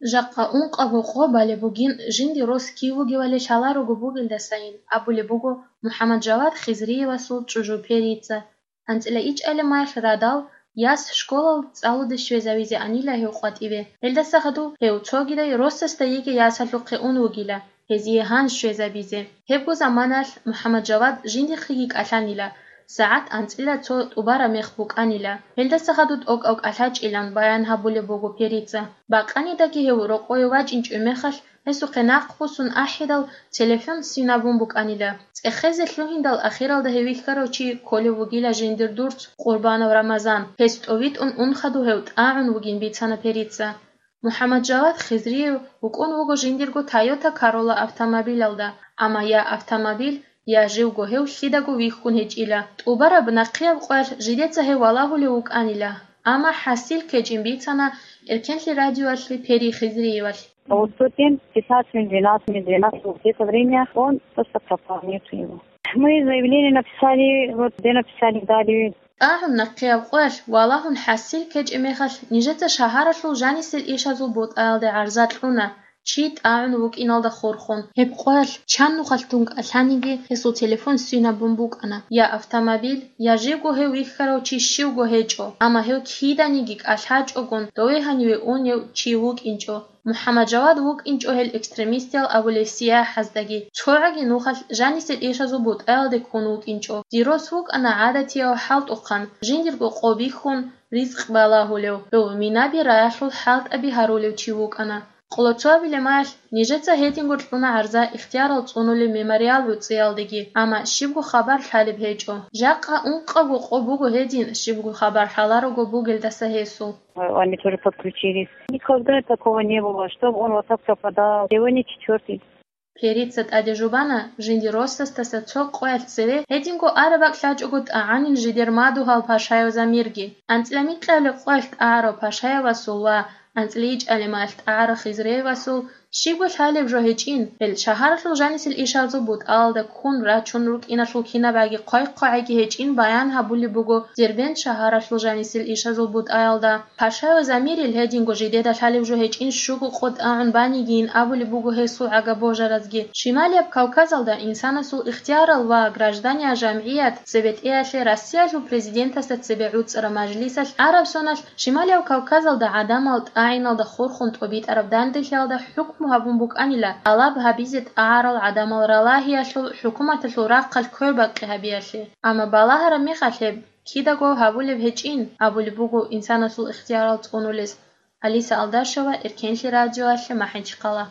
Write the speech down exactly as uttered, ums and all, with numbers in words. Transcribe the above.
Жакъа ункъабго къо балеб бугин, жинди рос кив вугевали лъаларого бугелдасайин, абулеб буго МухӀаммаджавад Хизриевасул чӀужу Перица. АнцӀила ичӀали маялъ радал, яс школал цӀалуде щвезавизе анила гьев къватӀиве. Гьелдаса хадув гьев цогидай росасда йигей ясалъухъе ун вугила, гьезие гьан щвезабизе. Гьебго заманалъ МухӀаммаджавад жиндихъеги кӀалъанила, сагӀат анцӀила цо тӀубараб мех букӀанила. Гьелдаса хадув тӀокӀав кӀалъачӀилан баян гьабулеб буго Перица. Бакъанидаги гьев рокъове вачӀинчӀеб мехалъ, гьесухъе нахъ босун ахӀидал, телефон синабун букӀанила. ЦӀехезе лъугьиндал ахиралда гьев вихьарав чи кколев вугила жиндир дурц Къурбанов Рамазан. Гьес тӀовитӀун ун хадув гьев тӀагӀун вугин бицана Перица. МухӀаммаджавад Хизриев вукӀун вуго жиндирго Toyota Corolla автомобилалда, амма я автомобиль, я живго гьев лъидаго вихьун гьечӀила. ТӀубараб нахъияб къоялъ жидеца гьев валагьулев вукӀанила, амма хӀасил ккечӀин бицана Эркенлъи радиоялъе Пери Хизриевалъ. Вот в тот день, пятнадцать минут двенадцать, минут двенадцать, вот это время он просто пропал, нету его. Мы заявление написали, вот где написали, дали. ТӀагӀун нахъияб къоялъ валагьун хӀасил ккечӀеб мехалъ, нижеца шагьаралъул жанисел ишазул бутӀаялде гӀарза кьуна, чи тӀагӀун вукӀиналда хурхун. Гьеб къоялъ чан нухалъ дун кӀалъаниги, гьесул телефон синабун букӀана. Я автомобиль, я живго гьев вихьарав чи щивго гьечӀо, амма гьев киданиги кӀалъачӀогун, дове гьаниве унев чи вукӀинчӀо. МухӀаммаджавад вукӀинчӀо гьел экстремистиял абулеб сияхӀаздаги, цогӀаги нухалъ жанисел ишазул бутӀаялде ккун вукӀинчӀо. Дир рос вукӀана гӀадатияв хӀалтӀухъан, жиндирго къо бихьун, ризкъ балагьулев, гьев минаби раялъул хӀалтӀаби гьарулев чи вукӀана. Къолоцо абилеб мехалъ, нижеца гьединго кьуна гӀарза ихтиярал цӀунулеб мемориал гӀуцӀиялдеги, амма щибго хабар лъалеб гьечӀо. Жакъа ункъабго къо буго гьедин, щибго хабар лъаларого бугелдаса гьесул. Они тоже подключились. Никогда такого не было, чтобы он вот так пропадал. Сегодня четвёртый. Перица тӀаде жубана, жиндир росасдаса цо къоялъ цеве гьединго араб бакӀ лъачӀого тӀагӀанин жидер мадугьал Пашаев Замирги. АнцӀила микьабилеб къоялъ тӀагӀарав Пашаевасул ва анцӀила ичӀабилеб мехалъ тӀагӀарав Хизриевасул щибго лъалеб жо гьечӀин, гьел шагьаралъул жанисел ишазул бутӀаялда ккун рачун рукӀиналъул кинабаги хъвай-хъвагӀиги гьечӀин баян гьабулеб буго Дербент шагьаралъул жанисел ишазул бутӀаялда. Пашаев Замирил гьединго жидеда лъалеб жо гьечӀин щуго къо тӀагӀун банигийин абулеб буго гьесул гӀага божаразги. Шималияб Кавказалда инсанасул ихтиярал ва граждания жамгӀият цебетӀеялъе Россиялъул президентасда цебе гӀуцӀараб мажлисалъ араб соналъ Шималияб Кавказалда гӀадамал тӀагӀиналда хурхун тӀобитӀараб данделъиялда хӀукму гьабун букӀанила тӀалаб гьабизе тӀагӀарал гӀадамал ралагьиялъул хӀукуматалъул рахъалъ квербакъи гьабиялъе. Амма балагьараб мехалъ гьеб кидаго гьабулеб гьечӀин абулеб буго инсанасул ихтиярал цӀунулес. Алиса Алдашева, Эркенлъи радиоялъе, МахӀичхъала.